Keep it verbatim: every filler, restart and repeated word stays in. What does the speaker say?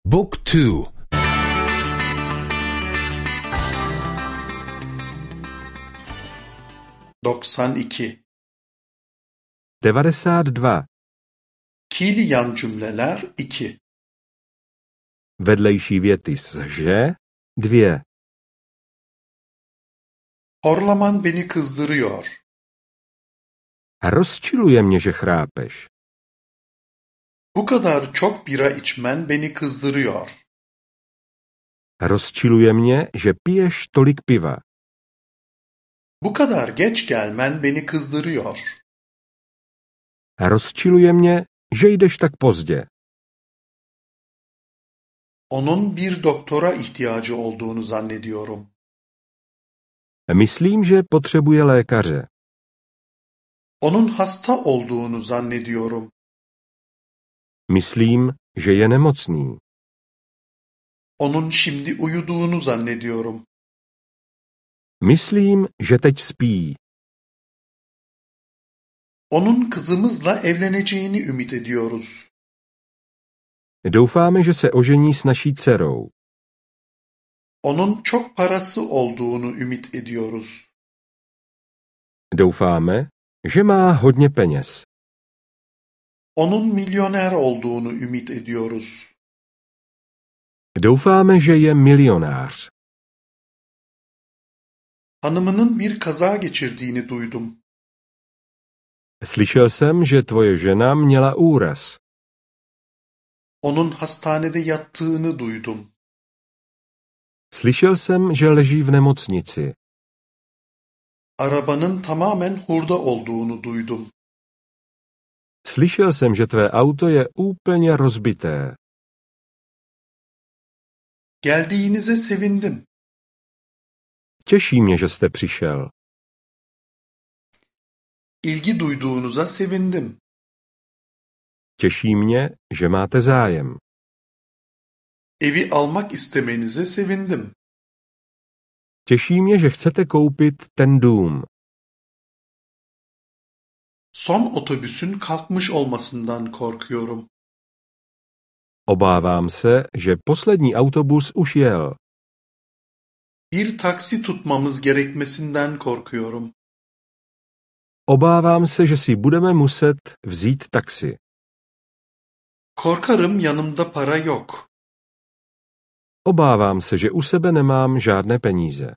Book two. doksan iki. devadesát dva. Fiili yan cümleler iki. Vedlejší věty s že, dvě. Horlaman beni kızdırıyor. Rozčiluje mě, že chrápeš. Bu kadar çok bira içmen beni kızdırıyor. Rozčiluje mě, že piješ tolik piva. Bu kadar geç gelmen beni kızdırıyor. Rozčiluje mě, že jdeš tak pozdě. Onun bir doktora ihtiyacı olduğunu zannediyorum. Myslím, že potřebuje lékaře. Onun hasta olduğunu zannediyorum. Myslím, že je nemocný. Onun şimdi uyuduğunu zannediyorum. Myslím, že teď spí. Onun kızımızla evleneceğini ümit ediyoruz. Doufáme, že se ožení s naší dcerou. Onun çok parası olduğunu ümit ediyoruz. Doufáme, že má hodně peněz. Onun milyoner olduğunu ümit ediyoruz. Doufáme, že je milionář. Hanımının bir kaza geçirdiğini duydum. Slyšel jsem, že tvoje žena měla úraz. Onun hastanede yattığını duydum. Slyšel jsem, že leží v nemocnici. Arabanın tamamen hurda olduğunu duydum. Slyšel jsem, že tvé auto je úplně rozbité. Geldiğinize sevindim. Těší mě, že jste přišel. İlgi duyduğunuza sevindim. Těší mě, že máte zájem. Evi almak istemenize sevindim. Těší mě, že chcete koupit ten dům. Son otobüsün kalkmış olmasından korkuyorum. Obávám se, že poslední autobus už jel. Bir taksi tutmamız gerekmesinden korkuyorum. Obávám se, že si budeme muset vzít taxi. Korkarım yanımda para yok. Obávám se, že u sebe nemám žádné peníze.